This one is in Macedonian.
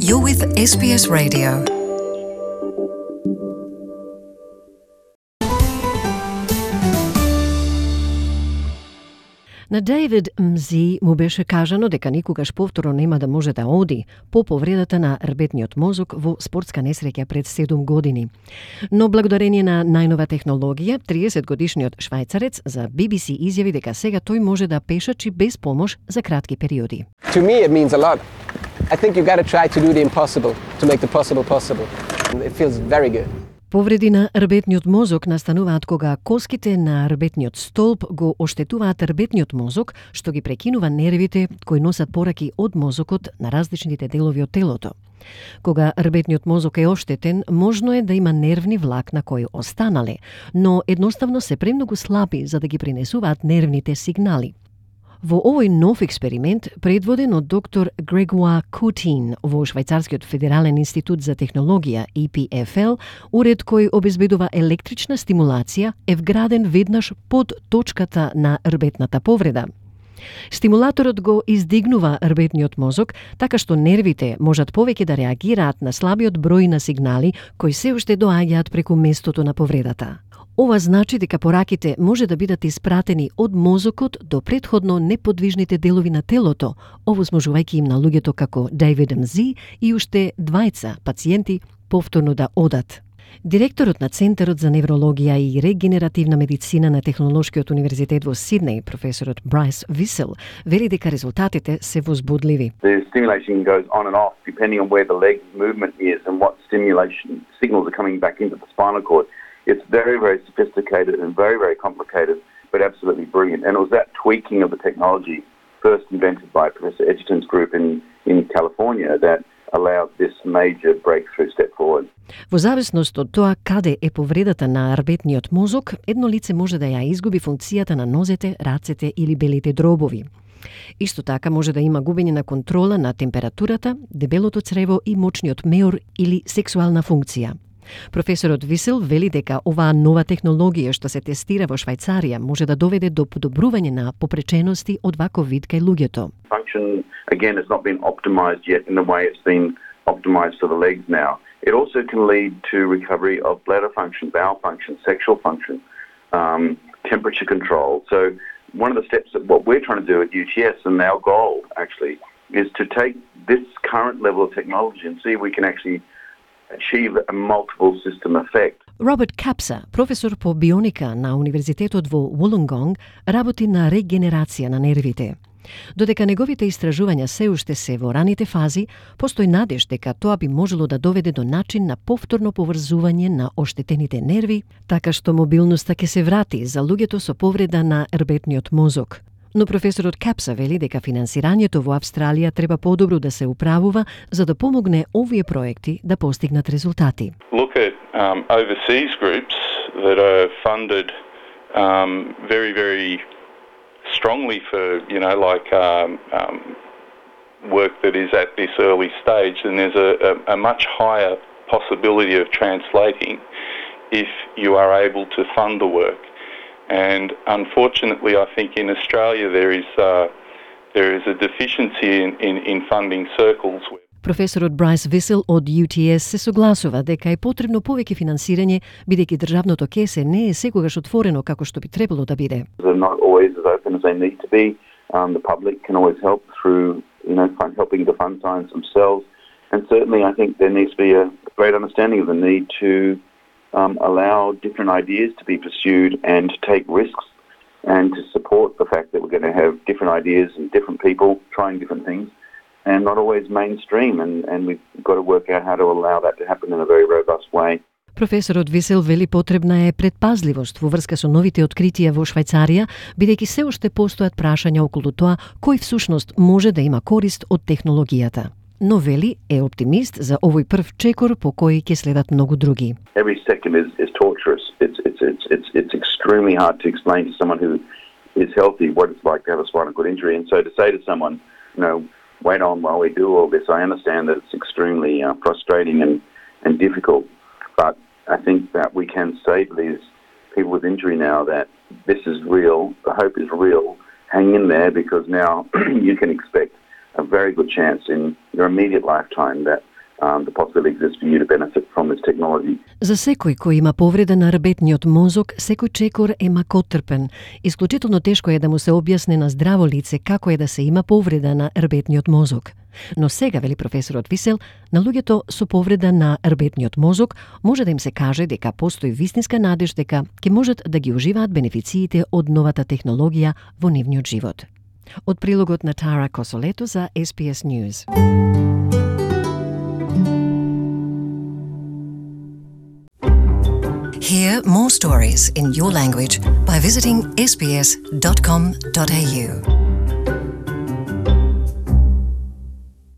You're with SBS Radio. На Дейвид Мзи му беше кажано дека никогаш повторно нема да може да оди по повредата на рбетниот мозок во спортска несреќа пред 7 години. Но благодарение на најнова технологија, 30-годишниот швајцарец за BBC изјави дека сега тој може да пешачи без помош за кратки периоди. To me it means a lot. I think you got to try to do the impossible to make the possible possible. It feels very good. Повреди на рбетниот мозок настануваат кога коските на рбетниот столб го оштетуваат рбетниот мозок, што ги прекинува нервите кои носат пораки од мозокот на различните делови од телото. Кога рбетниот мозок е оштетен, можно е да има нервни влакна кои останале, но едноставно се премногу слаби за да ги пренесуваат нервните сигнали. Во овој нов експеримент, предводен од доктор Грегоа Кутин во Швајцарскиот федерален институт за технологија EPFL, уред кој обезбедува електрична стимулација, е вграден веднаш под точката на рбетната повреда. Стимулаторот го издигнува рбетниот мозок, така што нервите можат повеќе да реагираат на слабиот број на сигнали кои се уште доаѓаат преку местото на повредата. Ова значи дека пораките може да бидат испратени од мозокот до претходно неподвижните делови на телото, овозможувајќи им на луѓето како Дейвид Мзи и уште двајца пациенти повторно да одат. Директорот на Центарот за неврологија и регенеративна медицина на Технолошкиот универзитет во Сиднеј, професорот Брайс Висел, вели дека резултатите се возбудливи. The stimulation goes on and off depending on where the leg movement is and what stimulation signals are coming back into the spinal cord. It's very, very sophisticated and very, very complicated, but absolutely brilliant. And it was that tweaking of the technology first invented by Professor Edgerton's group in California that allowed this major breakthrough step forward. Во зависност од тоа каде е повредата на рбетниот мозок, едно лице може да ја изгуби функцијата на нозете, рацете или белите дробови. Исто така може да има губење на контрола на температурата, дебелото црево и мочниот меор или сексуална функција. Професорот Висел вели дека оваа нова технологија што се тестира во Швајцарија може да доведе до подобрување на попречености од ваков вид кај луѓето. Function again has not been optimized yet in the way it's been optimized for the legs now. It also can lead to recovery of bladder function, bowel function, sexual function, temperature control. So one of the steps that what we're trying to do at UTS and our goal actually is to take this current level of technology and see if we can actually achieve a multiple system effect. Роберт Капса, професор по бионика на Универзитетот во Вулонгонг, работи на регенерација на нервите. Додека неговите истражувања се уште се во раните фази, постои надеж дека тоа би можело да доведе до начин на повторно поврзување на оштетените нерви, така што мобилноста ќе се врати за луѓето со повреда на рбетниот мозок. Но професорот Капса вели дека финансирањето во Австралија треба подобро да се управува за да помогне овие проекти да постигнат резултати. Look at overseas groups that are funded very, very strongly for, work that is at this early stage, and there's a much higher possibility of translating if you are able to fund the work. And unfortunately, I think in Australia there is a deficiency in funding circles. Професорот Брайс Висел од UTS се согласува дека е потребно повеќе финансирање, бидејќи државното кесе не е секогаш отворено како што би требало да биде. They're not always as open as they need to be. The public can always help through, helping to fund science themselves. And certainly, I think there needs to be a great understanding of the need to allow different ideas to be pursued and to take risks and to support the fact that we're going to have different ideas and different people trying different things and not always mainstream and we've got to work out how to allow that to happen in a very robust way. Професорот Висел вели потребна е предпазливост во врска со новите откритија во Швајцарија, бидејќи се уште постојат прашања околу тоа кој всушност може да има корист од технологијата. Но вели е оптимист за овој прв чекор по кој ќе следат многу други. Every second is torturous. It's extremely hard to explain to someone who is healthy what it's like to have a spinal cord injury, and so to say to someone, wait on while we do all this, I understand that it's extremely frustrating and difficult, but I think that we can say to these people with injury now that this is real, the hope is real, hang in there because now you can expect a very good chance in your immediate lifetime that the possibility exists for you to benefit from this technology. За секој кој има повреда на рбетниот мозок, секој чекор е макотрпен. Исклучително тешко е да му се објасни на здраво лице како е да се има повреда на рбетниот мозок. Но сега, вели професорот Висел, на луѓето со повреда на рбетниот мозок може да им се каже дека постои вистинска надеж дека ќе можат да ги уживаат бенефициите од новата технологија во нивниот живот. Од прилогот на Тара Косолето за SBS News. Hear more stories in your language by visiting sbs.com.au.